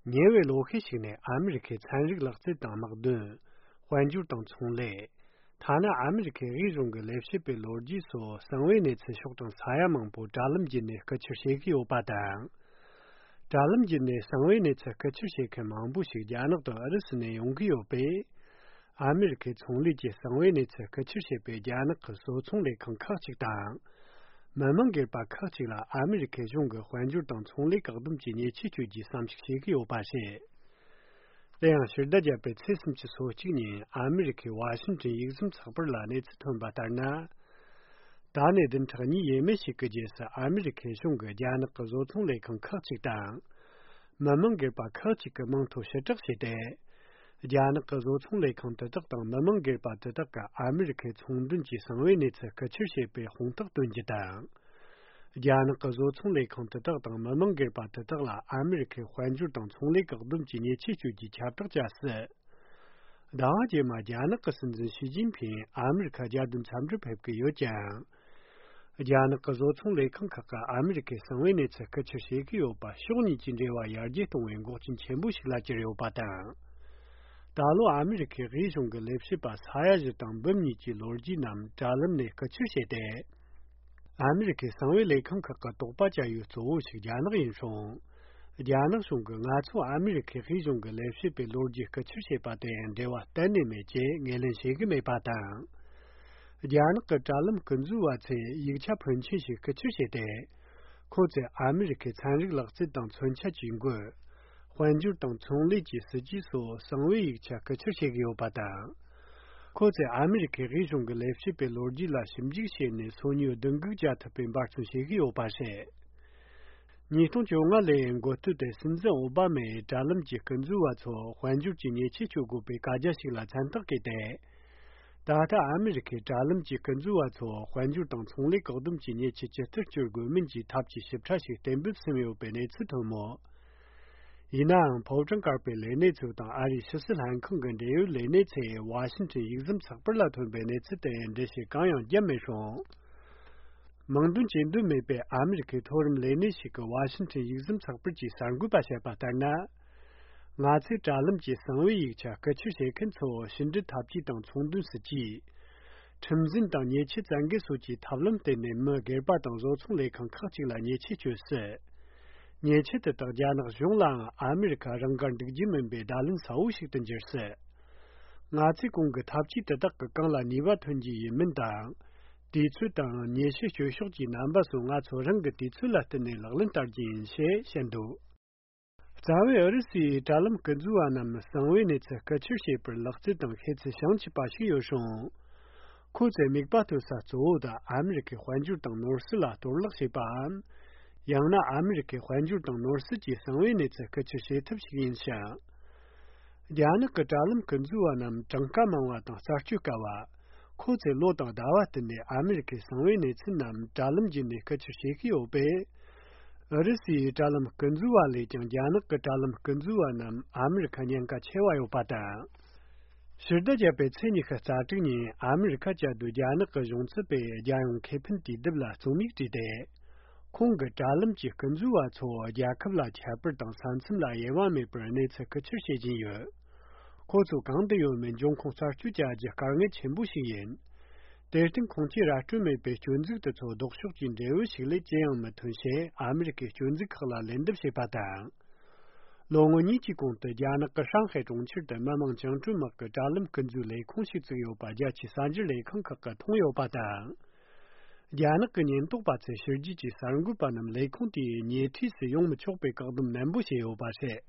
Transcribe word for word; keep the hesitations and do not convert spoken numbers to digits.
ཉེ་བའི་ལོ་ཤས་ཤིག་ནས་ཨ་མི་རི་ཁའི་ཚན་རིག་ལག་རྩལ་དང་དམག་དོན། དཔལ་འབྱོར་དང་ཚོང་ལས། ཐ་ན་ཨ་མི་རི་ཁའི་དབུས་གཞུང་གི་ལས་བྱེད་པའི་ལོ་རྒྱུས་སོགས་གསང་བའི་གནས་ཚུལ་ཕྱོགས་དང་ས་ཡ་མང་པོ་དྲ་ལམ་བརྒྱུད་ནས་རྐུ་འཁྱེར་བྱེད་ཀྱི་ཡོད་པ་དང་། དྲ་ལམ་བརྒྱུད་ནས་གསང་བའི་གནས་ཚུལ་རྐུ་འཁྱེར་བྱེད་མཁན་མང་པོ་ཞིག་རྒྱ་ནག་དང་ཨུ་རུ་སུ་ནས་ཡོང་གི་ཡོད་པས། ཨ་མི་རི་ཁའི་ཚོང་ལས་ཀྱི་གསང་བའི་གནས་ཚུལ་རྐུ་འཁྱེར་བྱེད་པའི་རྒྱ་ནག་གི་བཟོ་ཚོང་ལས་ཁང་ཁག་ཅིག་དང་། མི་མང་སྒེར་པ་ཁག་ཅིག་ལ་ཨ་མི་རི་ཁའི་གཞུང་གིས་དཔལ་འབྱོར་དང་ཚོང་ལས་བཀག་སྡོམ་གྱི་ཉེས་ཆད་གཅོད་རྒྱུའི་བསམ་གཞིག་བྱེད་ཀྱི་ཡོད་པ་རེད། དེ་ཡང་ཕྱི་ཟླ་བརྒྱད་པའི་ཚེས་སུམ་ཅུ་སོ་གཅིག་ཉིན་ཨ་མི་རི་ཁའི་ཝ་ཤིང་ཊོན་ཡིག་ཟམ་ཚགས་པར་ལ་གནས་ཚུལ་ཐོན་པ་ལྟར་ན། ད་ནས་བདུན་ཕྲག་གཉིས་ཡས་མས་ཤིག་གི་རྗེས་སུ་ཨ་མི་རི་ཁའི་གཞུང་གིས་རྒྱ་ནག་གི་བཟོ་ཚོང་ལས་ཁང་ཁག་ཅིག་དང་། མི་མང་སྒེར་པ་ཁག་ཅིག་གི་མིང་ཐོ་ཕྱིར་བསྒྲགས་བྱས་ཏེ། རྒྱ་ནག་གི་བཟོ་ཚོང་ལས་ཁང་དེ་དག་དང་མི་མང་སྒེར་པ་དེ་དག་གིས་ཨ་མི་རི་ཁའི་ཚོང་དོན་གྱི་གསང་བའི་གནས་ཚུལ་རྐུ་འཁྱེར་བྱས་པའི་དཔང་རྟགས་སྟོན་རྒྱུ་དང་། རྒྱ་ནག་གི་བཟོ་ཚོང་ལས་ཁང་དེ་དག་དང་མི་མང་སྒེར་པ་དེ་དག་ལ་ཨ་མི་རི་ཁའི་དཔལ་འབྱོར་དང་ཚོང་ལས་བཀག་སྡོམ་གྱི་ཉེས་ཆད་གཅོད་རྒྱུའི་ཁྱབ་བསྒྲགས་བྱ་སྲིད། ཟླ་བ་རྗེས་མ་རྒྱ་ནག་གི་སྲིད་འཛིན་ཞི་ཅིན་ཕིང་ཨ་མི་རི་ཁ་རྒྱལ་དོན་འཚམས་འདྲིར་ཕེབས་ཀྱི་ཡོད་ཀྱང་། རྒྱ་ནག་གི་བཟོ་ཚོང་ལས་ཁང་ཁག་གིས་ཨ་མི་རི་ཁའི་གསང་བའི་གནས་ཚུལ་རྐུ་འཁྱེར་བྱེད་ཀྱི་ཡོད་པ་ཕྱོགས་གཉིས་ཀྱི་འབྲེལ་བ་ཡར་རྒྱས་གཏོང་བའི་འགོག་རྐྱེན་ཆེན་པོ་ཞིག་ལ་གྱུར་ཡོད་པ་དང་། ད་ལོ་ཨ་མི་རི་ཁའི་དབུས་གཞུང་གི་ལས་བྱེད་པ་ས་ཡ་བཞི་དང་འབུམ་གཉིས་ཀྱི་ལོ་རྒྱུས་རྣམས་དྲ་ལམ་ནས་རྐུ་འཁྱེར་བྱས་ཏེ། ཨ་མི་རི་ཁའི་གསང་བའི་ལས་ཁང་ཁག་གི་དོགས་པ་བཅའ་ཡུལ་གཙོ་བོ་ཞིག་རྒྱ་ནག་ཡིན་སོང་། རྒྱ་ནག་གཞུང་གིས་ང་ཚོ་ཨ་མི་རི་ཁའི་དབུས་གཞུང་གི་ལས་བྱེད་པའི་ལོ་རྒྱུས་རྐུ་འཁྱེར་བྱས་པ་དེ་ཡང་འབྲེལ་བ་གཏན་ནས་མེད་ཅེས་ངོས་ལེན་བྱེད་ཀྱི་མེད་པ་དང་། རྒྱ་ནག་གི་དྲ་ལམ་རྐུ་འཛུལ་བ་ཚོས་ཡིག་ཆ་ཕོན་ཆེན་ཞིག་རྐུ་འཁྱེར་བྱས་ཏེ། ཁོ་ཚོས་ཨ་མི་རི་ཁའི་ཚན་རིག་ལག་རྩལ་དང་མཚོན་ཆ་ཇུས་འགོད། དཔལ་འབྱོར་དང་ཚོང་ལས་ཀྱི་སྲིད་ཇུས་སོགས་གསང་བའི་ཡིག་ཆ་རྐུ་འཁྱེར་བྱེད་ཀྱི་ཡོད་པ་དང་། ཁོ་ཚོས་ཨ་མི་རི་ཁའི་དབུས་གཞུང་གི་ལས་བྱེད་པའི་ལོ་རྒྱུས་ལ་ཞིབ་འཇུག་བྱས་ནས་སོ་ཉུལ་བསྡུ་འགུག་བྱ་ཐུབ་པའི་འབད་བརྩོན་བྱེད་ཀྱི་ཡོད་པ་རེད། ཉིས་སྟོང་བཅོ་ལྔ་ལོའི་འགོ་སྟོད་དུ་སྲིད་འཛིན་ཨོ་བྷ་མས་དྲ་ལམ་གྱི་རྐུ་འཛུལ་བ་ཚོ་དཔལ་འབྱོར་གྱི་ཉེས་ཆད་གཅོད་དགོས་པའི་བཀའ་རྒྱ་ཞིག་ལ་མཚན་རྟགས་བཀོད་དེ། ད་ལྟ་ཨ་མི་རི་ཁའི་དྲ་ལམ་གྱི་རྐུ་འཛུལ་བ་ཚོ་དཔལ་འབྱོར་དང་ཚོང་ལས་བཀག་སྡོམ་གྱི་ཉེས་ཆད་ཇི་ལྟར་གཅོད་དགོས་མིན་གྱི་ཐབས་ཇུས་ཞིབ་ཕྲ་ཞིག་གཏན་འབེབས་ཟིན་ཡོད་པའི་གནས་ཚུལ་ཐོན་མོད། ཡིན་ནའང་ཕོ་བྲང་དཀར་པོའི་ལས་སྣེ་ཚོ་དང་ཨ་རིའི་ཕྱི་སྲིད་ལྷན་ཁང་གི་འབྲེལ་ཡོད་ལས་སྣེ་ཚོས་ཝ་ཤིང་ཊོན་ཡིག་ཟམ་ཚགས་པར་ལ་ཐོན་པའི་གནས་ཚུལ་དེ་ཡང་འགྲེལ་བཤད་གང་ཡང་བརྒྱབ་མེད་སོང་། མིང་འདོན་བྱེད་འདོད་མེད་པའི་ཨ་མི་རི་ཁའི་མཐོ་རིམ་ལས་སྣེ་ཞིག་གིས་ཝ་ཤིང་ཊོན་ཡིག་ཟམ་ཚགས་པར་གྱི་གསར་འགོད་པ་བཤད་པ་ལྟར་ན། ང་ཚོས་དྲ་ལམ་གྱི་གསང་བའི་ཡིག་ཆ་རྐུ་འཁྱེར་བྱེད་མཁན་ཚོ་ཕྱི་འབྲེལ་འཐབ་ཇུས་དང་ཚོང་དོན་སྲིད་ཇུས། ཁྲིམས་འཛིན་དང་ཉེས་ཆད་བཙན་འགེལ་སོགས་ཀྱི་ཐབས་ལམ་བརྟེན་ནས་མི་སྒེར་པ་དང་བཟོ་ཚོང་ལས་ཁང་ཁག་ཅིག་ལ་ཉེས་ཆད་གཅོད་སྲིད། ཉེས་ཆད་དེ་དག་རྒྱ་ནག་གཞུང་ལའང་ཨ་མི་རི་ཁ་རང་དགར་འདུག་རྒྱུ་མིན་པའི་བརྡ་ལན་གསལ་བོ་ཞིག་ཏུ་འགྱུར་སྲིད། ང་ཚོས་གོང་གི་ཐབས་ཇུས་དེ་དག་གི་གང་ལ་ནུས་པ་ཐོན་རྒྱུ་ཡིན་མིན་དང་། དུས་ཚོད་དང་ཉེས་ཆད་གཅོད་ཕྱོགས་ཀྱི་རྣམ་པ་སོགས་ང་ཚོ་རང་གི་དུས་ཚོད་ལ་བསྟུན་ནས་ལག་ལེན་བསྟར་རྒྱུ་ཡིན་ཞེས་བཤད་འདུག། རྩ་བའི་ཨུ་རུ་སུའི་དྲ་ལམ་རྐུ་འཛུལ་བ་རྣམས་གསང་བའི་གནས་ཚུལ་རྐུ་འཁྱེར་བྱེད་པར་ལག་རྩལ་དང་ཤེས་ཚད་བྱང་ཆུབ་པ་ཞིག་ཡོད་རུང་། ཁོ་ཚོའི་དམིགས་པ་གཏོད་ས་གཙོ་བོ་དེ་ཨ་མི་རི་ཁའི་དཔལ་འབྱོར་དང་ནོར་སྲིད་ལ་གཏོར་བརླག་བྱེད་པའམ། ཡང་ན་ཨ་མི་རི་ཁའི་དཔལ་འབྱོར་དང་ནོར་སྲིད་ཀྱི་གསང་བའི་གནས་ཚུལ་རྐུ་འཁྱེར་བྱེད་ཐབས་ཤིག་ཡིན་ཞིང་། རྒྱ་ནག་གི་དྲ་ལམ་རྐུ་འཛུལ་བ་རྣམས་གྲངས་ཀ་མང་བ་དང་རྩད་གཅོད་དཀའ་བ། ཁོ་ཚོས་ལོ་དང་ཟླ་བ་བསྟུན་ནས་ཨ་མི་རི་ཁའི་གསང་བའི་གནས་ཚུལ་རྣམས་དྲ་ལམ་བརྒྱུད་ནས་རྐུ་འཁྱེར་བྱེད་ཀྱི་ཡོད་པས། ཨུ་རུ་སུའི་དྲ་ལམ་རྐུ་འཛུལ་བ་ལས་ཀྱང་རྒྱ་ནག་གི་དྲ་ལམ་རྐུ་འཛུལ་བ་རྣམས་ཨ་མི་རི་ཁ་ཉེན་ཁ་ཆེ་བ་ཡོད་པ་དང་། ཕྱི་ཟླ་བརྒྱད་པའི་ཚེས་ཉི་ཤུ་རྩ་དྲུག་ཉིན་ཨ་མི་རི་ཁ་བཅའ་སྡོད་རྒྱ་ནག་གི་གཞུང་ཚབ་པས་རྒྱལ་ཡོངས་ཁེ་ཕན་དུས་དེབ་ལ་རྩོམ་ཡིག་བྲིས་ཏེ། ཁོང་གིས་དྲ་ལམ་གྱི་རྐུ་འཛུལ་བ་ཚོ་རྒྱལ་ཁབ་ལ་ཁྱད་པར་དང་ས་མཚམས་ལ་དབྱེ་བ་མེད་པར་གནས་ཚུལ་རྐུ་འཁྱེར་བྱེད་བཞིན་ཡོད། ཁོ་ཚོ་གང་དུ་ཡོད་མིན་འབྱུང་ཁུངས་རྩད་གཅོད་བྱ་རྒྱུ་དཀའ་ངལ་ཆེན་པོ་ཞིག་ཡིན། དེར་བརྟེན་ཁོང་ཚོས་ར་སྤྲོད་མེད་པའི་སྐྱོན་འཛུགས་དེ་ཚོ་ལྡོག་ཕྱོགས་ཀྱི་འབྲས་བུ་ཞིག་ལས་ཅི་ཡང་མི་ཐོན་ཞེས་ཨ་མི་རི་ཀའི་སྐྱོན་འཛུགས་ཁག་ལ་ལན་འདེབས་བྱས་པ་དང་། ལོ་ངོ་གཉིས་ཀྱི་གོང་དུ་རྒྱ་ནག་གི་ཧྲང་ཧའེ་གྲོང་ཁྱེར་དུ་མི་དམངས་བཅིངས་འགྲོལ་དམག་གི་དྲ་ལམ་རྐུ་འཛུལ་ལས་ཁུངས་ཤིག་བཙུགས་ཡོད་པ་རྒྱལ་སྤྱིའི་གསར་འགྱུར་ལས་ཁང་ཁག་གིས་མཐོང་ཡོད་པ་དང་། རྒྱ་ནག་གི་ཉེན་རྟོག་པ་ཚོས་ཕྱི་རྒྱལ་གྱི་གསར་འགོད་པ་རྣམས་ལས་ཁུངས་དེའི་ཉེ་འཁྲིས་སུ་ཡོང་མི་ཆོག་པའི་བཀག་སྡོམ་ནན་པོ་བྱས་ཡོད་པ་རེད།